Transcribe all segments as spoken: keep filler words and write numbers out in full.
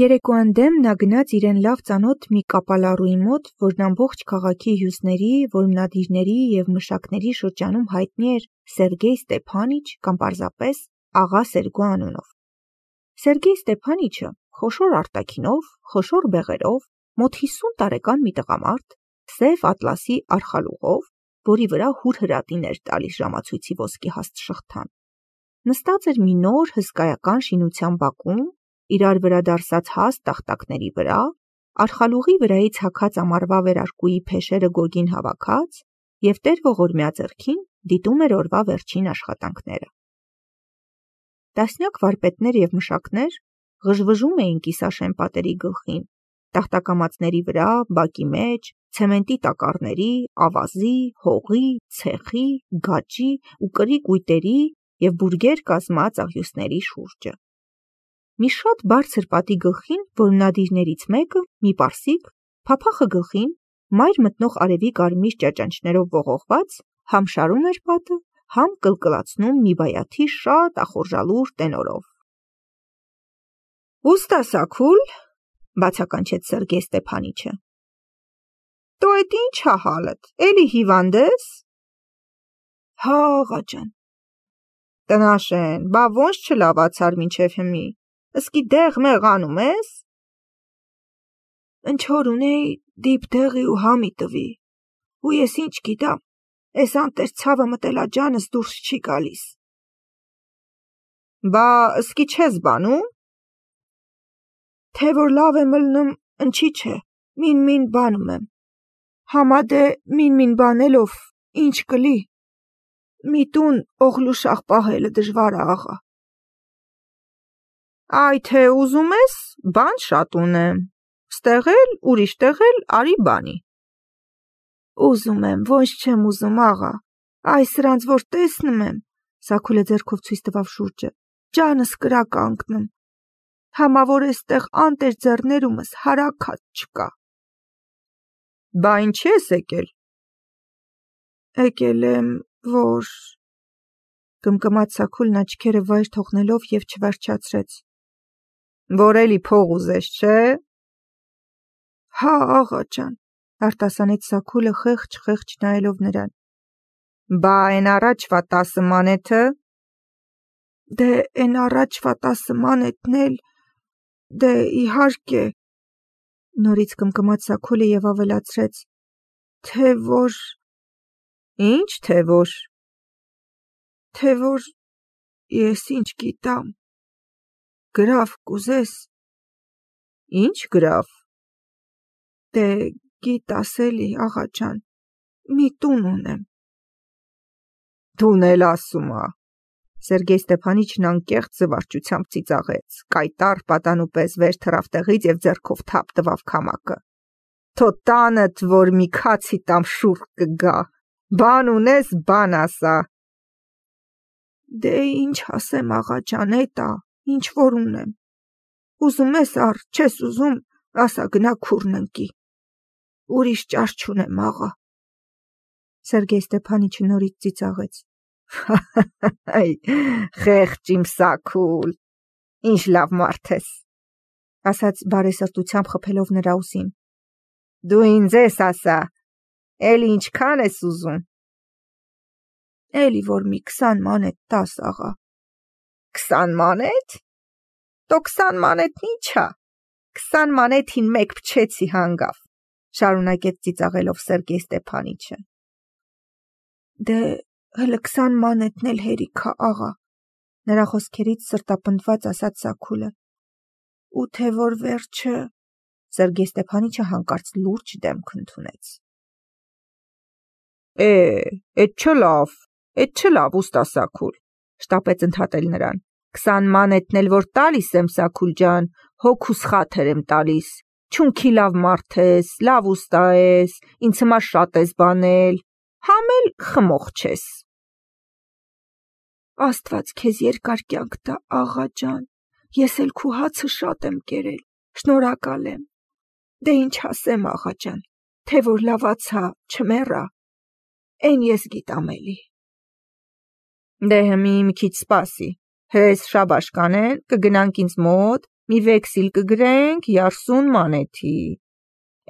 Երեկոյան դեմ նա գնաց իրեն լավ ծանոթ մի կապալառուի մոտ, որն ամբողջ քաղաքի հյուսների, որմնադիրների և մշակների շրջանում հայտնի էր Սերգեյ Ստեփանիչ կամ պարզապես աղա Սերգո անունով։ Սերգեյ Ստեփանիչը խոշոր արտաքինով, խոշոր բեղերով, մոտ հիսուն տարեկան մի տղամարդ, սև ատլասի արխալուղով, որի վրա հուրհրատին էր տալիս ժամացույցի ոսկի հաստ շղթան, նստած էր մի նոր հսկայական շինության բակում, իրար վրա դարսած հաստ տախտակների վրա, արխալուղի վրայից հագած ամառվա վերարկուի փեշերը գոգին հավաքած և տեր ողորմյա ձեռքին դիտում էր օրվա վերջին աշխատանքները։ Տասնյակ վարպետներ և մշակներ ղժվժում էին կիսաշեն պատերի գլխին, տախտակամածների վրա, բակի մեջ, ցեմենտի տակառների, ավազի, հողի, ցեխի, գաճի ու կրի կույտերի և բուրգեր կազմած աղյուսների շուրջը։ Մի շատ բարձր պատի գլխին որմնադիրներից մեկը, մի պարսիկ, փափախը գլխին, մայր մտնող արևի կարմիր ճաճանճներով ողողված, համ շարում էր պատը, համ կլկլացնում մի բայաթի շատ ախորժալուր տենորով։ «Ուստա Սաքուլ», բացականչեց Սերգեյ Ստեփանիչը։ «Տո էդ ի՞նչ ա հալդ, էլի հիվանդ ես»։ «Հա, աղաջան»։ «Տնաշեն, բա ոնց չլավացար մինչև հիմի, ըսկի դեղ-մեղ անում ես»։ «Ընչ որ ունեի, դիպ դեղի ու համի տվի, ու ես ինչ գիտամ, էս անտեր ցավը մտելա ջանս դուրս չի գալիս»։ «Բա ըսկի չես բանում»։ «Թե որ լավ եմ ըլնում, ընչի չէ, մին-մին բանում եմ, համա դե մին-մին բանելով, ինչ կլի, մի տուն օղլուշաղ պահելը դժվար ա, աղա»։ «Այ թե ուզում ես, բան շատ ունեմ, ստեղ էլ, ուրիշ տեղ էլ արի բանի»։ «Ուզում եմ, ոնց չեմ ուզում, աղա, այ սրանց որ տեսնում եմ», Սաքուլը ձեռքով ցույց տվավ շուրջը, «ջանս կրա կանգնում, համա որ էստեղ անտեր ձեռներումս հարագած չկա»։ «Բա ինչի ես եկել»։ «Եկել եմ, որ…» կմկմաց Սաքուլն աչքերը վայր թողնելով և չվերջացրեց։ «Որ էլի փող ուզես, չէ՞։ «Հա, աղաջան», արտասանեց Սաքուլը խեղճ-խեղճ նայելով նրան։ «Բա էն առաջվա տասը մանեթը»։ «Դե էն առաջվա տասը մանեթն էլ, դե իհարկե», նորից կմկմաց Սաքուլը և ավելացրեց, «թե որ…» «Ինչ թե որ»։ «Թե որ… ես ինչ գիտամ, գրավ կուզես»։ «Ինչ գրավ»։ «Դե գիտաս էլի, աղաջան, մի տուն ունեմ»։ «Տուն էլ ասում ա»։ Սերգեյ Ստեփանիչն անկեղծ զվարճությամբ ծիծաղեց, կայտառ պատանու պես վեր թռավ տեղից և ձեռքով թափ տվավ քամակը։ «Թո տանդ, որ մի քացի տամ շուռ կգա, բան ունես, բան ասա»։ «Դե ինչ ասեմ, աղաջան, էտ ա, ինչ որ ունեմ, ուզում ես առ, չես ուզում, ասա գնա քուրն ընկի, ուրիշ ճար չունեմ, աղա»։ Սերգեյ Ստեփանիչը նորից ծիծաղեց։ «Խեղճ իմ Սաքուլ, ինչ լավ մարդ ես», ասաց բարեսրտությամբ խփելով նրա ուսին։ «Դու ինձ ես ասա, էլի ինչքան ես ուզում»։ «Էլի որ մի քսան մանեթ տաս, աղա»։ «Քսան մանեթ, տո քսան մանեթն ինչ ա, քսան մանեթին մեկ փչեցի հանգավ», շարունակեց ծիծաղելով Սերգեյ Ստեփանիչը։ «Դե հլը քսան մանեթն էլ հերիք ա, աղա», նրա խոսքերից սրտապնդված ասաց Սաքուլը։ «Ու թե որ վերջը…» Սերգեյ Ստեփանիչը հանկարծ լուրջ դեմք ընդունեց։ «Է, էդ չէ լավ, էդ չէ լավ, ուստա Սաքուլ», շտապեց ընդհատել նրան։ «Քսան մանեթն էլ որ տալիս եմ, Սաքուլ ջան, հոգուս խաթր եմ տալիս, չունքի լավ մարդ ես, լավ ուստա ես, ինձ հիմա շատ ես բանել, համ էլ խմող չես»։ «Աստված քեզ երկար կյանք տա, աղա ջան, ես էլ քու հացը շատ եմ կերել, շնորհակալ եմ, դե ինչ ասեմ, աղա ջան, թե որ լավացա, չմեռա, էն ես գիտամ էլի»։ «Դե հմի մի քիչ սպասի, հրես շաբաշ կանեն, կգնանք ինձ մոտ, մի վեքսիլ կգրենք երեսուն մանեթի,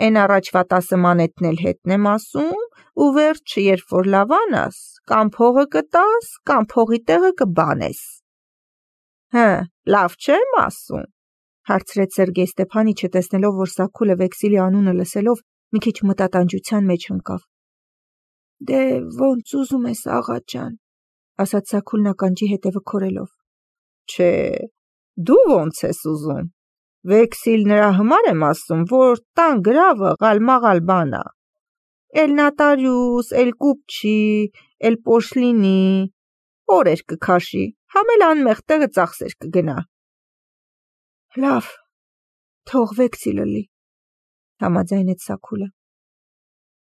են առաջվա տասը մանեթն էլ հետն եմ ասում, ու վերջը երբ որ լավանաս, կամ փողը կտաս, կամ փողի տեղը կբանես։ Հը, լավ չեմ ասում, հարցրեց Սերգեյ Ստեփանիչը, տեսնելով, որ Սաքուլը վեքսիլի անունը լսելով մի քիչ մտատանջության մեջ ընկավ։ Դե ոնց ուզում ես, աղա ջան, ասաց Սաքուլն ականջի հետևը քորելով։ Չէ, դու ոնց ես ուզում։ Վեքսիլ նրա համար եմ ասում, որ տան գրավը ղալ-մաղալ բան ա։ Էլ նոտարիուս, էլ կուպչի, էլ պոշլինի, օրեր կքաշի, համ էլ անմեղ տեղը ծախսեր կգնա։ Լավ, թող վեքսիլը լի, համաձայնեց Սաքուլը։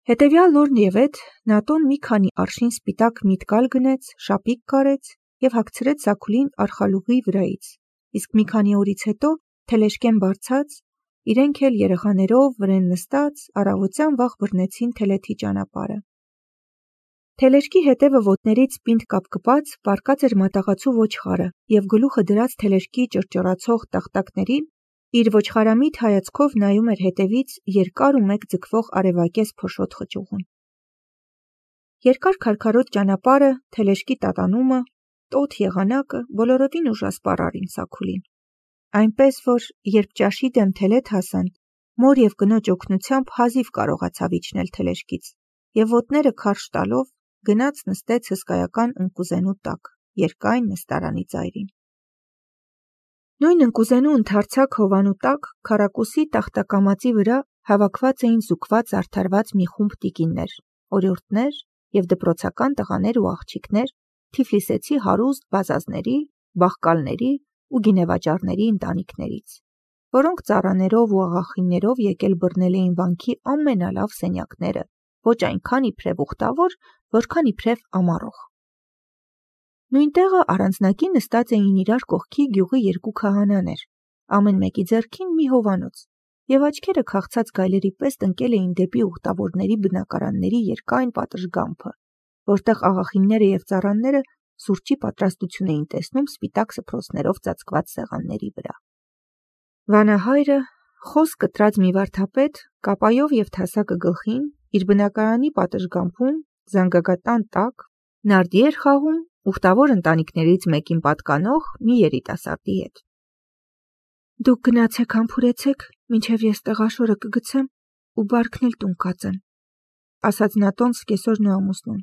Հետևյալ օրն եւ էդ Նատոն մի քանի արշին սպիտակ միտկալ գնեց, շապիկ կարեց եւ հագցրեց Սաքուլին արխալուղի վրայից, իսկ մի քանի օրից հետո թելեշկեն բարձած, իրենք էլ երեխաներով վրեն նստած, առավոտյան վաղ բռնեցին Թելեթի ճանապարհը։ Թելեշկի հետևը ոտներից պինդ կապկպած պառկած էր մատաղացու ոչխարը եւ գլուխը դրած թելեշկի ճռճռացող տախտակներին իր ոչխարամիտ հայացքով նայում էր հետևից երկար ու մեկ ձգվող արևակեզ փոշոտ խճուղուն։ Երկար քարքարոտ ճանապարհը, թելեշկի տատանումը, տոտ եղանակը բոլորովին ուժասպառ արին Սաքուլին, այնպես որ երբ ճաշի դեմ Թելեթ հասան, մոր եւ կնոջ օգնությամբ հազիվ կարողացավ իջնել թելեշկից եւ ոտները քարշ տալով գնաց նստեց հսկայական ընկուզենու տակ, երկայն նստարանի ծայրին։ Նույն ընկուզենու ընդարձակ հովանու տակ քառակուսի տախտակամածի վրա հավաքված էին զուգված արդարված մի խումբ տիկիններ, օրիորդներ եւ դպրոցական տղաներ ու աղջիկներ Թիֆլիսեցի հարուստ բազազների, բախկալների ու գինեվաճառների ընտանիքներից, որոնք ծառաներով ու աղախիններով եկել բռնել էին վանքի ամենալավ սենյակները, ոչ այնքան իբրև ուխտավոր, որքան իբրև ամառող։ Նույն տեղը առանձնակի նստած էին իրար կողքի գյուղի երկու քահանաներ, ամեն մեկի ձեռքին մի հովանոց, եւ աչքերը քաղցած գայլերի պես տնկել էին դեպի ուխտավորների բնակարանների երկայն պատշգամբը, որտեղ աղախինները եւ ծառաները սուրճի պատրաստություն էին տեսնում սպիտակ սփռոցներով ծածկված սեղանների վրա։ Վանահայրը, խոս կտրած մի վարդապետ, կապայով եւ թասակը գլխին, իր բնակարանի պատշգամբում, զանգակատան տակ, նարդի էր խաղում ուխտավոր ընտանիքներից մեկին պատկանող մի երիտասարդի հետ։ Դուք գնացեք համբուրեցեք, մինչև ես տեղաշորը կգցեմ ու բարքն էլ տուն կածեմ, ասաց Նատոն սկեսօրն ու ամուսնուն։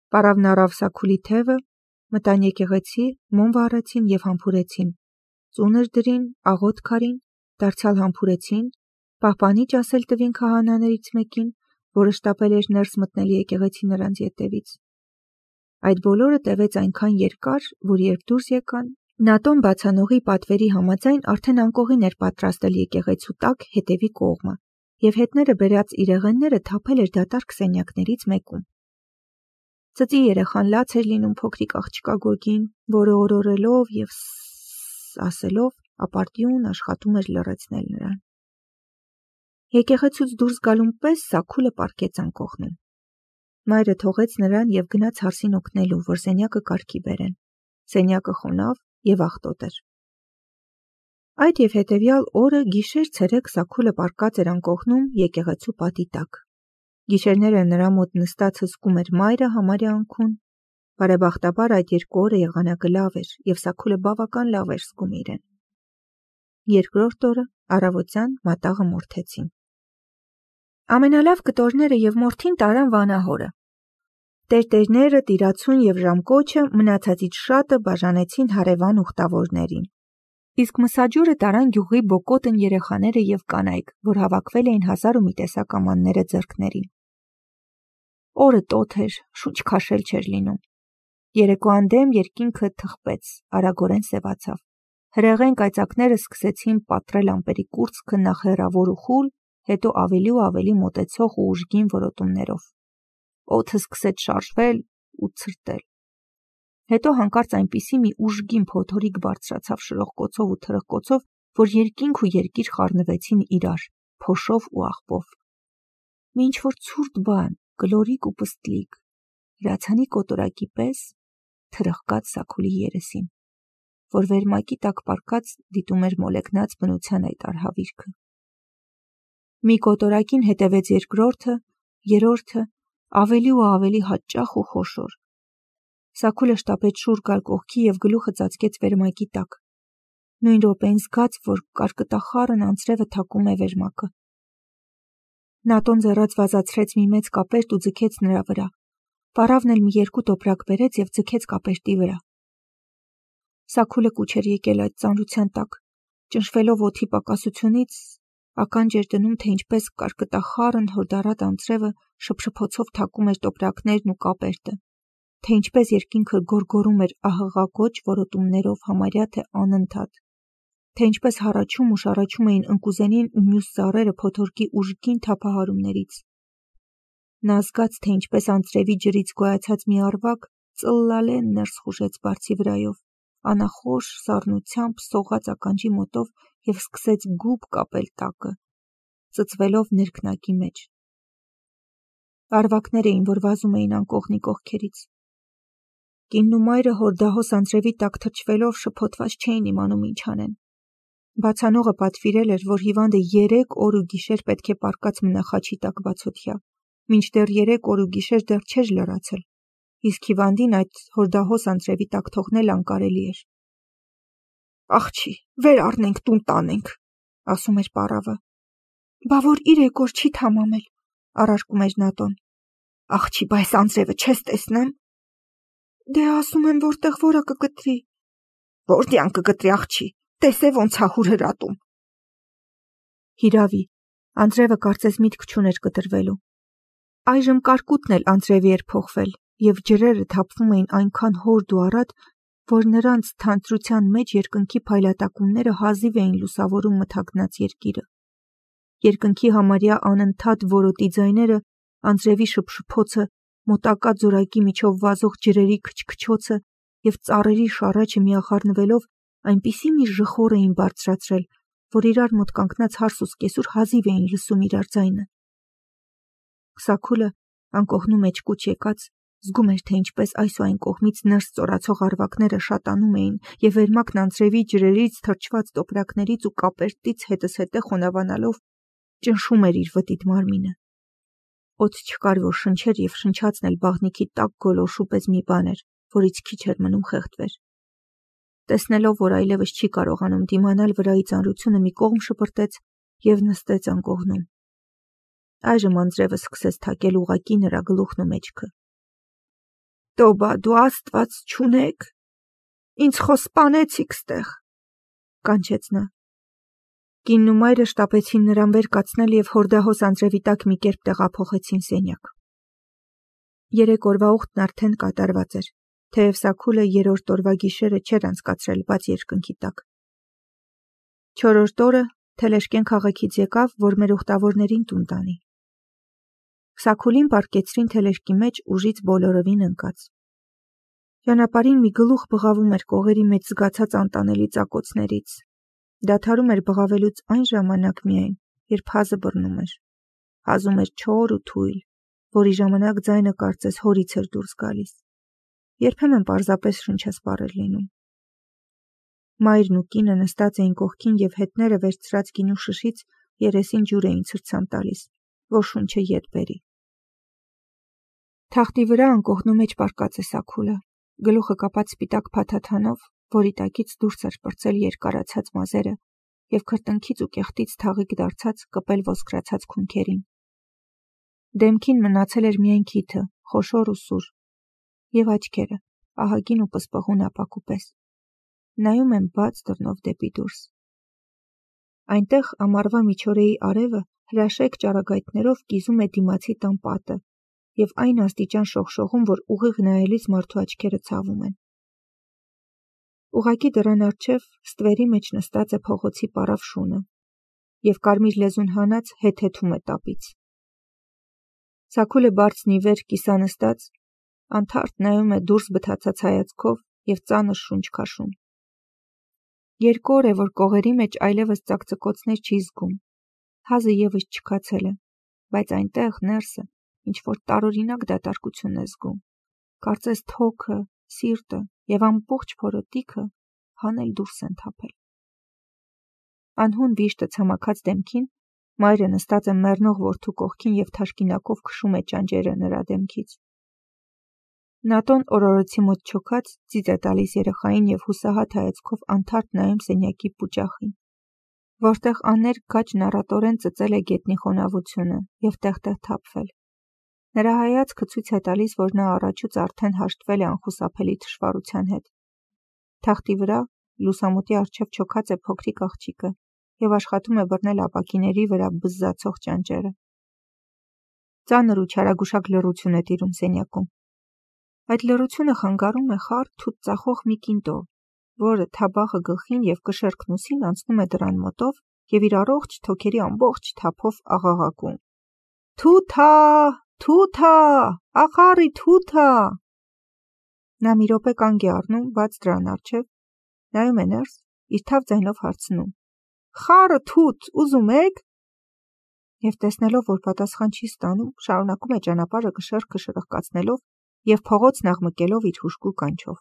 Պարավն առավ Սաքուլի թևը, մտան եկեղեցի, մոմ վառեցին եւ համբուրեցին, ծունր դրին, աղոտ քարին, դարձյալ համբուրեցին, պահպանիչ ասել տվին քահանաներից մեկին, որը շտապել էր ներս մտնել եկեղեցի նրանց ետևից։ Այդ բոլորը տևեց այնքան երկար, որ երբ դուրս եկան, Նատոն բացանողի պատվերի համաձայն արդեն անկողին էր պատրաստել եկեղեցու տակ հետևի կողմը, եւ հետները բերած իրեղենները թափել էր դատարկ սենյակներից մեկում։ Ծծի երեխան լաց էր լինում փոքրիկ աղջկա գորգին, որը օրորելով եւ ասելով ապարտյուն աշխատում էր լռեցնել նրան։ Եկեղեցուց դուրս գալուն պես Սաքուլը պառկեց անկողնում։ Մայրը թողեց նրան եւ գնաց հարսին օգնելու, որ սենյակը կարգի բերեն։ Սենյակը խոնավ եւ աղտոտ էր։ Այդ եւ հետեւյալ օրը գիշեր ցերեկ Սաքուլը պառկած էր անկողնում եկեղեցու պատի տակ։ Գիշերները նրա մոտ նստած հսկում էր մայրը համարյա անքուն։ Բարեբախտաբար այդ երկու օրը եղանակը լավ էր եւ Սաքուլը բավական լավ էր զգում իրեն։ Երկրորդ օրը առավոտյան մատաղը մորթեցին։ Ամենալավ կտորները եւ մորթին տարան վանահորը։ Տերտերները, տիրացուն եւ ժամկոչը մնացածից շատը բաժանեցին հարևան ուխտավորներին։ Իսկ մսաջուրը տարան գյուղի բոկոտն երեխաները եւ կանայք, որ հավաքվել էին հազար ու մի տեսակ ամանները ձեռքներին։ Օրը տոթ էր, շուչ քաշել չէր լինում։ Երեկոյան դեմ երկինքը թխվեց, արագորեն սևացավ։ Հրեղեն կայծակները սկսեցին պատռել ամպերի կուրծքը նախ հեռավոր ու խուլ, հետո ավելի ու ավելի մոտեցող ու ուժգին որոտումներով։ Օդը սկսեց շարժվել ու ցրտել։ Հետո հանկարծ այնպիսի մի ուժգին փոթորիկ բարձրացավ շրոխկոցով ու թրխկոցով, որ երկինք ու երկիր խառնվեցին իրար, փոշով ու աղբով։ Մի ինչ-որ ցուրտ բան, գլորիկ ու պստլիկ, հրացանի կոտորակի պես թրխկաց Սաքուլի երեսին։ որ վերմակի տակ պառկած դիտում էր մոլեգնած բնության այդ արհավիրքը։ Մի կոտորակին հետևեց երկրորդը, երրորդը, ավելի ու ավելի հաճախ ու խոշոր։ Սաքուլը շտապեց շուռ գալ կողքի և գլուխը ծածկեց վերմակի տակ։ Նույն րոպեին զգաց, որ կարկտախառն անձրևը թակում է վերմակը։ Նատոն ձեռած վազացրեց մի մեծ կապերտ ու ձգեց նրա վրա։ Պառավն էլ մի երկու տոպրակ բերեց և ձգեց կապերտի վրա։ Սաքուլը կուչ էր եկել այդ ծանրության տակ, ճնշվելով օդի պակասությունից, ականջ էր դնում, թե ինչպես կարկտախառն հորդառատ անձրևը շփշփոցով թակում էր տոպրակներն ու կապերտը, թե ինչպես երկինքը գոռգոռում էր ահղակոչ որոտումներով համարյա թե անընդհատ, թե ինչպես հառաչում ու շառաչում էին ընկուզենին ու մյուս ծառերը փոթորկի ուժգին թափահարումներից։ Նա զգաց, թե ինչպես անձրևի ջրից գոյացած մի առվակ ծլլալեն ներս խուժեց բարձի վրայով, անախորժ սառնությամբ սողաց ականջի մոտով և սկսեց գուբ կապել տակը, ծծվելով ներքնակի մեջ։ Առվակներ էին, որ վազում էին անկողնի կողքերից։ Կինն ու մայրը հորդահոս անձրևի տակ թրջվելով շփոթված չէին իմանում ինչ անեն։ Բացանողը պատվիրել էր, որ հիվանդը երեք օր ու գիշեր պետք է պառկած մնա խաչի տակ բացօթյա, մինչդեռ երեք օր ու գիշեր դեռ չէր լրացել, իսկ հիվանդին այդ հորդահոս անձրևի տակ թողնել անկարելի էր։ «Աղջի, վեր առնենք, տուն տանենք», ասում էր պառավը։ «Բա որ իրեք օր չի թամամել», առարկում էր Նատոն։ «Աղջի, բա այս անձրևը չես տեսնեմ»։ «Դե ասում եմ, որտեղ որը կկտրի»։ «Որտյան կկտրի, աղջի, տեսե ոնց ա հուր հրատում»։ Հիրավի, անձրևը կարծես միտք չուներ կտրվելու։ Այժմ կարկուտն էլ անձրևի էր փոխվել, և ջրերը թափվում էին այնքան հորդ ու առատ, որ նրանց թանձրության մեջ երկնքի փայլատակումները հազիվ էին լուսավորում մթագնած երկիրը։ Երկնքի համարյա անընդհատ որոտի ձայները, անձրևի շփշփոցը, մոտակա ձորակի միջով վազող ջրերի քչքչոցը և ծառերի շառաչը միախառնվելով այնպիսի մի ժխոր էին բարձրացրել, որ իրար մոտ կանգնած հարս ու սկեսուր հազիվ էին լսում իրար ձայնը։ Սաքուլը, անկողնու մեջ կուչ եկած, զգում էր, թե ինչպես այս ու այն կողմից ներս ծորացող առվակները շատանում էին, և վերմակն անձրևի ջրերից թրջված տոպրակներից ու կապերտից հետզհետե խոնավանալով ճնշում էր իր վտիտ մարմինը։ Օդ չկար, որ շնչեր և շնչածն էլ բաղնիքի տաք գոլորշու պես մի բան էր, որից քիչ էր մնում խեղդվեր։ Տեսնելով, որ այլևս չի կարողանում դիմանալ վրայի ծանրությունը, մի կողմ շպրտեց և նստեց անկողնում։ Այժմ անձրևը սկսեց թակել ուղղակի նրա գլուխն ու մեջքը։ «Տոբա, դու աստված չունեք, ինձ խո սպանեցիք ստեղ», կանչեց նա։ Կինն ու մայրը շտապեցին նրան վեր կացնել և հորդահոս անձրևի տակ մի կերպ տեղափոխեցին սենյակ։ Երեք օրվա ուխտն արդեն կատարված էր, թեև Սաքուլը երրորդ օրվա գիշերը չէր անցկացրել բաց երկնքի տակ։ Չորրորդ օրը Թելեշկեն քաղաքից եկավ, որ մեր ուխտավորներին տուն տանի։ Սաքուլին պառկեցրին թելեշկի մեջ ուժից բոլորովին ընկած։ Ճանապարհին մի գլուխ բղավում էր կողերի մեջ զգացած անտանելի ծակոցներից։ Դադարում էր բղավելուց այն ժամանակ միայն, երբ հազը բռնում էր։ Հազում էր չոր ու թույլ, որի ժամանակ ձայնը կարծես հորից էր դուրս գալիս։ Երբեմն պարզապես շնչասպառ էր լինում։ Մայրն ու կինը նստած էին կողքին և հետները վերցրած գինու շշից երեսին ջուր էին ցրցան տալիս, որ շունչը ետ բերի։ Թախտի վրա անկողնու մեջ պառկած է Սաքուլը, գլուխը կապած սպիտակ փաթաթանով, որի տակից դուրս էր պրծել երկարացած մազերը և քրտինքից ու կեղտից թաղիկ դարձած կպել ոսկրացած քունքերին։ Դեմքին մնացել էր միայն քիթը, խոշոր ու սուր, և աչքերը, ահագին ու պսպղուն ապակու պես, նայում են բաց դռնով դեպի դուրս։ Այնտեղ ամառվա միջօրեի արևը հրաշեկ ճառագայթներով կիզում է դիմացի տան պատը և այն աստիճան շողշողում, որ ուղիղ նայելիս մարդու աչքերը ցավում են։ Ուղղակի դռան առջև ստվերի մեջ նստած է փողոցի պառավ շունը և կարմիր լեզուն հանած հետհեթում է տապից։ Սաքուլը բարձն ի վեր կիսանստած, անթարթ նայում է դուրս բթացած հայացքով և ծանր շունչ քաշում։ Երկու օր է, որ կողերի մեջ այլևս ծակծկոցներ չի զգում։ Հազը ևս չքացել է, բայց այնտեղ ներսը ինչ-որ տարօրինակ դատարկություն է զգում։ Կարծես թոքը, սիրտը և ամբողջ փորոտիքը հանել դուրս են թափել։ Անհուն վիշտը ցամաքած դեմքին, մայրը նստած է մեռնող որդու կողքին և թաշկինակով քշում է ճանճերը նրա դեմքից։ Նատոն օրորոցի մոտ չոքած ծիծ է տալիս երեխային և հուսահատ հայացքով անթարթ նայում սենյակի պուճախին, որտեղ աներ գաճն առատորեն ծծել է գետնի խոնավությունը և տեղ-տեղ թափվել։ Նրա հայացքը ցույց է տալիս, որ նա առաջուց արդեն հաշտվել է անխուսափելի թշվառության հետ։ Թախտի վրա լուսամուտի առջև չոքած է փոքրիկ աղջիկը և աշխատում է բռնել ապակիների վրա բզզացող ճանճերը։ Ծանր ու չարագուշակ լռություն է տիրում սենյակում։ Այդ լռությունը խանգարում է խառ թութ ծախող մի կինտո, որը թաբախը գլխին և կշեռքն ուսին անցնում է դռան մոտով և իր առողջ թոքերի ամբողջ թափով աղաղակում. «Թութա, թութա, ախառի թութա»։ Նա մի րոպե կանգ է առնում բաց դռան առջև, նայում է ներս, իր թավ ձայնով հարցնում. «Խառը թութ ուզում եք»։ Եվ տեսնելով, որ պատասխան չի ստանում, շարունակում է ճանապարհը կշեռքը շրխկացնելով և փողոցն աղմկելով իր հուժկու կանչով։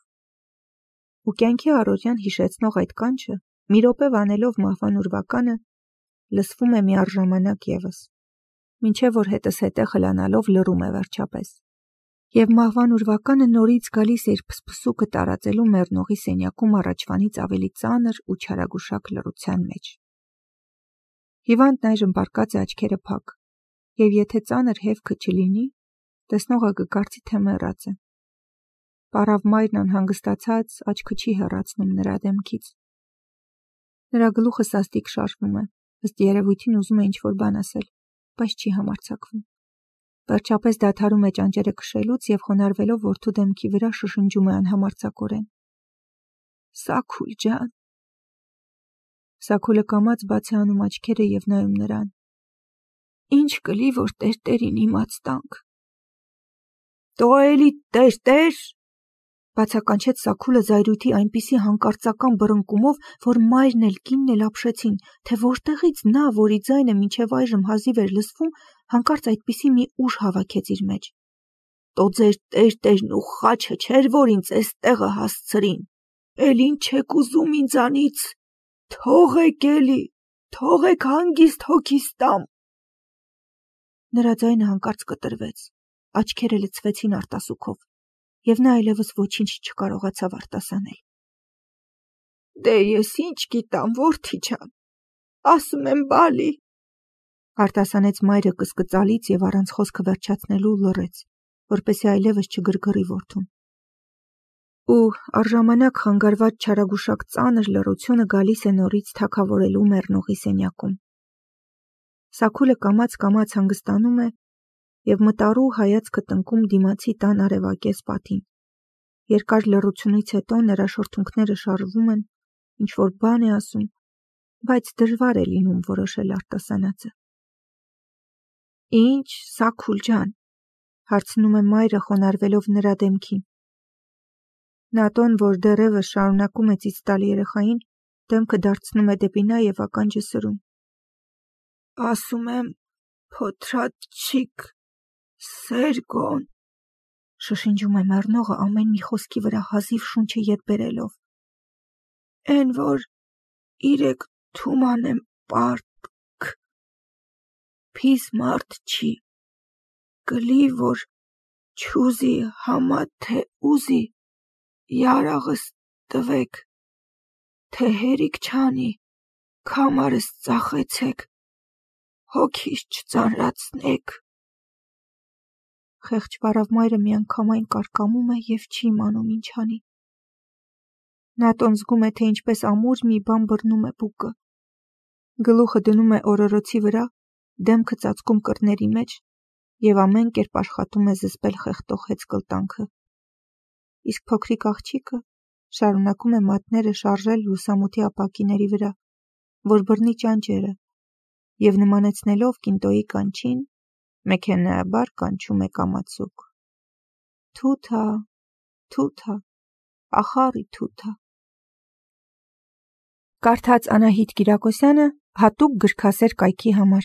Ու կյանքի առօրյան հիշեցնող այդ կանչը, մի րոպե վանելով մահվան ուրվականը, լսվում է միառժամանակ ևս, մինչև որ հետզհետե խլանալով լռում է վերջապես։ Եվ մահվան ուրվականը նորից գալիս է իր փսփսուկը տարածելու մեռնողի սենյակում առաջվանից ավելի ծանր ու չարագուշակ լռության մեջ։ Հիվանդն այժմ պառկած է աչքերը փակ, և եթե ծանր հևքը չլինի, տեսնողը կկարծի, թե մեռած է։ Պառավ մայրն անհանգստացած աչքը չի հեռացնում նրա դեմքից։ Նրա գլուխը սաստիկ շարժվում է, ըստ երևույթին ուզում է ինչ-որ բան ասել, բայց չի համարձակվում։ Վերջապես դադարում է ճանճերը քշելուց և խոնարհվելով որդու դեմքի վրա շշնջում է անհամարձակորեն. «Սաքուլ ջան»։ Սաքուլը կամաց բաց է անում աչքերը և նայում նրան։ «Ինչ կլի, որ տերտերին իմաց տանք»։ «Տո էլի տերտեր»։ Բացականչեց Սաքուլը զայրույթի այնպիսի հանկարծական բռնկումով, որ մայրն էլ կինն էլ ապշեցին, թե որտեղից նա, որի ձայնը մինչև այժմ հազիվ էր լսվում, հանկարծ այդպիսի մի ուժ հավաքեց իր մեջ։ «Տո ձեր տերտերն ու խաչը չէր, որ ինձ էստեղը հասցրին, էլ ինչ եք ուզում ինձանից, թողեք էլի, թողեք հանգիստ հոգիս տամ»։ Նրա ձայնը հանկարծ կտրվեց, աչքերը լցվեցին արտասուքով, և նա այլևս ոչինչ չկարողացավ արտասանել։ «Դե ես ինչ գիտամ, որդի ջան, ասում եմ բալի», արտասանեց մայրը կսկծալից և առանց խոսքը վերջացնելու լռեց, որպեսզի այլևս չգրգռի որդուն։ Ու առժամանակ խանգարված չարագուշակ ծանր լռությունը գալիս է նորից թագավորելու մեռնողի սենյակում։ Սաքուլը կամաց-կամաց հանգստանում է և մտառու հայացքը տնկում դիմացի տան արևակեզ պատին։ Երկար լռությունից հետո նրա շրթունքները շարժվում են, ինչ-որ բան է ասում, բայց դժվար է լինում որոշել արտասանածը։ «Ինչ, Սաքուլ ջան», հարցնում է մայրը խոնարհվելով նրա դեմքին։ Նատոն, որ դեռևս շարունակում է ծիծ տալ երեխային, դեմքը դարձնում է դեպի նա և ականջը սրում։ «Ասում եմ, փոթրաչիկ Սերգոն», շշնջում է մեռնողը ամեն մի խոսքի վրա հազիվ շունչը ետ բերելով։ «Էն որ իրեք թումանեմ պարտք, փիս մարդ չի, կլի որ չուզի համա թե ուզի, յարաղս տվեք, թե հերիք չանի, քամարս ծախեցեք, հոգիս չծանրացնեք»։ Խեղճ պառավ մայրը միանգամայն կարկամում է և չի իմանում ինչ անի։ Նատոն զգում է, թե ինչպես ամուր մի բան բռնում է բուկը։ Գլուխը դնում է օրորոցի վրա, դեմքը ծածկում կրների մեջ և ամեն կերպ աշխատում է զսպել խեղդող հեծկլտանքը։ Իսկ փոքրիկ աղջիկը շարունակում է մատները շարժել լուսամուտի ապակիների վրա, որ բռնի ճանճերը, և նմանեցնելով կինտոյի կանչին, մեքենայաբար կանչում է կամացուկ. «Թութա, թութա, ախառի թութա»։ Կարդաց Անահիտ Կիրակոսյանը հատուկ գրքասեր կայքի համար։